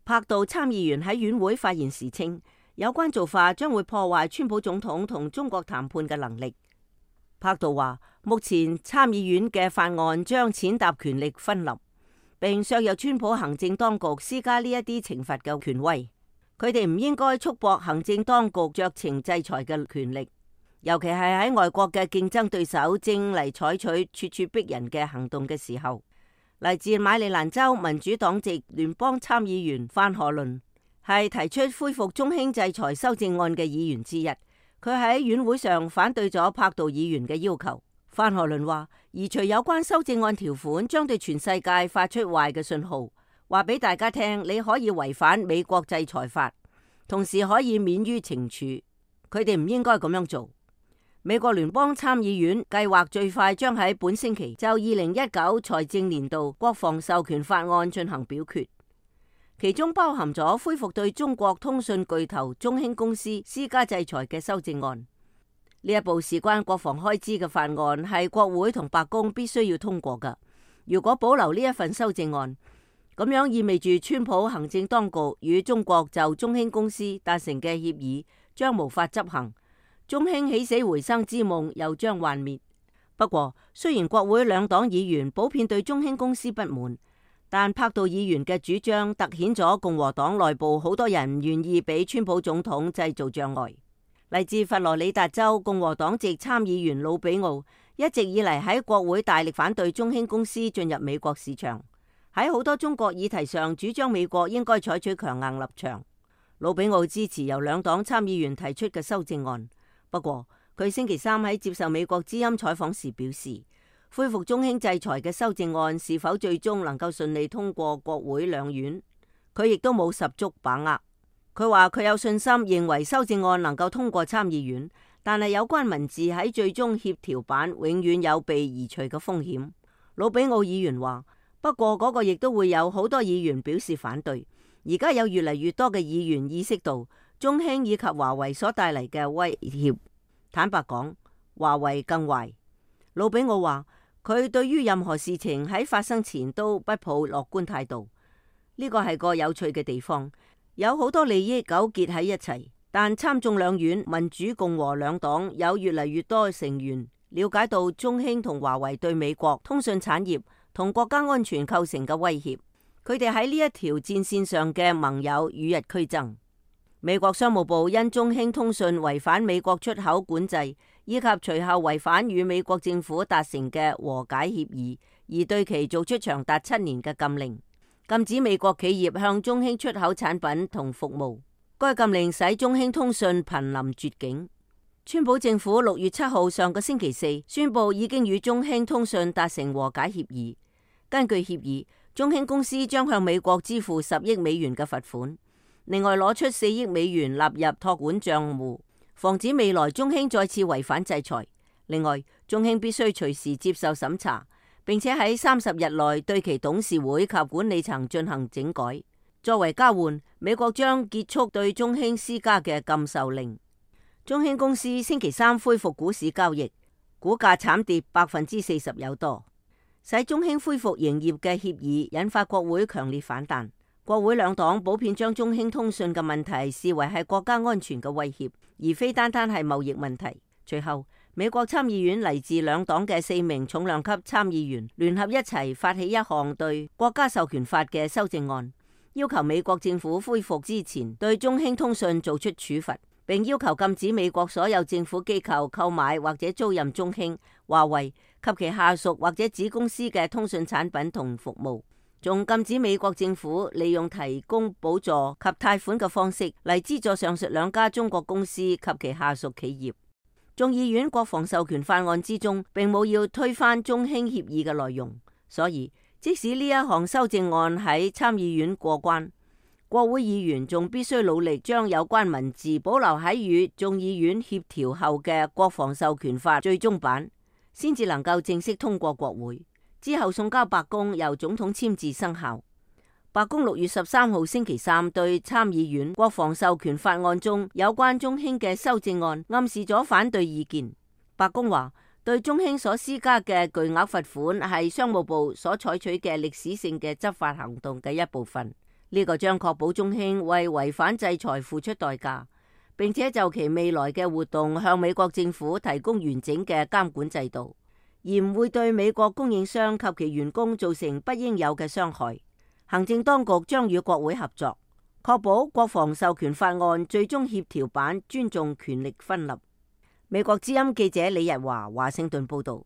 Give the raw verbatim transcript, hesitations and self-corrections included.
柏杜參議員喺院會發言時稱，有關做法將會破壞川普總統同中國談判嘅能力。柏杜話，目前參議院嘅法案將踐踏權力分立，並削弱川普行政當局施加呢一啲懲罰嘅權威。佢哋唔應該束縛行政當局酌情制裁嘅權力，尤其係喺外國嘅競爭對手正嚟採取咄咄逼人嘅行動嘅時候。嚟自馬里蘭州民主黨籍聯邦參議員范荷倫係提出恢復中興制裁修正案嘅議員之一。佢喺院會上反對咗柏杜議員嘅要求。范荷倫話，移除有關修正案條款將對全世界發出壞嘅信號，話俾大家聽你可以違反美國制裁法，同時可以免於懲處。佢哋唔應該咁樣做。美國聯邦參議院計劃最快將喺本星期就二零一九財政年度國防授權法案進行表決，其中包含咗恢復對中國通訊巨頭中興公司施加制裁嘅修正案。呢一部事關國防開支嘅法案係國會同白宮必須要通過㗎。如果保留呢一份修正案，咁樣意味住川普行政當局與中國就中興公司達成嘅協議將無法執行。中興起死回生之夢又將幻滅。不過，雖然國會兩黨議員普遍對中興公司不滿，但柏杜議員嘅主張凸顯咗共和黨內部好多人唔願意俾川普總統製造障礙。嚟自佛羅里達州共和黨籍參議員魯比奧一直以嚟喺國會大力反對中興公司進入美國市場，喺好多中國議題上主張美國應該採取強硬立場。魯比奧支持由兩黨參議員提出嘅修正案。不過，佢星期三喺接受美國之音採訪時表示，恢復中興制裁嘅修正案是否最終能夠順利通過國會兩院，佢亦都冇十足把握。佢話佢有信心認為修正案能夠通過參議院，但係有關文字喺最終協調版永遠有被移除嘅風險。魯比奧議員話，不過嗰個亦都會有好多議員表示反對。而家有越嚟越多嘅議員意識到中興以及華為所帶嚟嘅威脅。坦白講，華為更壞。魯比奧話，佢對於任何事情喺發生前都不抱樂觀態度。呢個係個有趣嘅地方，有好多利益糾結喺一齊，但參眾兩院民主共和兩黨有越嚟越多成員了解到中興同華為對美國通訊產業同國家安全構成嘅威脅。佢哋喺呢一條戰線上嘅盟友與日俱增。美國商務部因中興通訊違反美國出口管制，以及隨後違反與美國政府達成嘅和解協議，而對其做出長達七年嘅禁令，禁止美國企業向中興出口產品同服務。該禁令使中興通訊瀕臨絕境。川普政府六月七號上個星期四宣布已經與中興通訊達成和解協議。根據協議，中興公司將向美國支付十億美元嘅罰款，另外攞出四億美元納入託管賬戶，防止未來中興再次違反制裁。另外，中興必須隨時接受審查，並且喺三十日內對其董事會及管理層進行整改。作為交換，美國將結束對中興施加嘅禁售令。中興公司星期三恢復股市交易，股價慘跌百分之四十有多。使中興恢復營業嘅協議引發國會強烈反彈，國會兩黨普遍將中興通訊嘅問題視為係國家安全嘅威脅，而非單單係貿易問題。隨後，美國參議院嚟自兩黨嘅四名重量級參議員聯合一齊發起一項對國家授權法嘅修正案，要求美國政府恢復之前對中興通訊做出處罰，並要求禁止美國所有政府機構購買或者租賃中興、華為及其下屬或者子公司嘅通訊產品同服務，仲禁止美國政府利用提供補助及貸款嘅方式嚟資助上述兩家中國公司及其下屬企業。眾議院國防授權法案之中並冇要推翻中興協議嘅內容，所以即使呢一項修正案喺參議院過關，國會議員仲必須努力將有關文字保留喺與眾議院協調後嘅國防授權法最終版，先至能夠正式通過國會，之後送交白宮由總統簽字生效。白宮六月十三號星期三對參議院國防授權法案中有關中興嘅修正案暗示咗反對意見。白宮話，對中興所施加嘅巨額罰款係商務部所採取嘅歷史性嘅執法行動嘅一部分。呢個將確保中興為違反制裁付出代價，並且就其未來嘅活動向美國政府提供完整嘅監管制度，而唔會對美國供應商及其員工造成不應有嘅傷害。行政當局將與國會合作，確保國防授權法案最終協調版尊重權力分立。美國之音記者李日華華盛頓報道。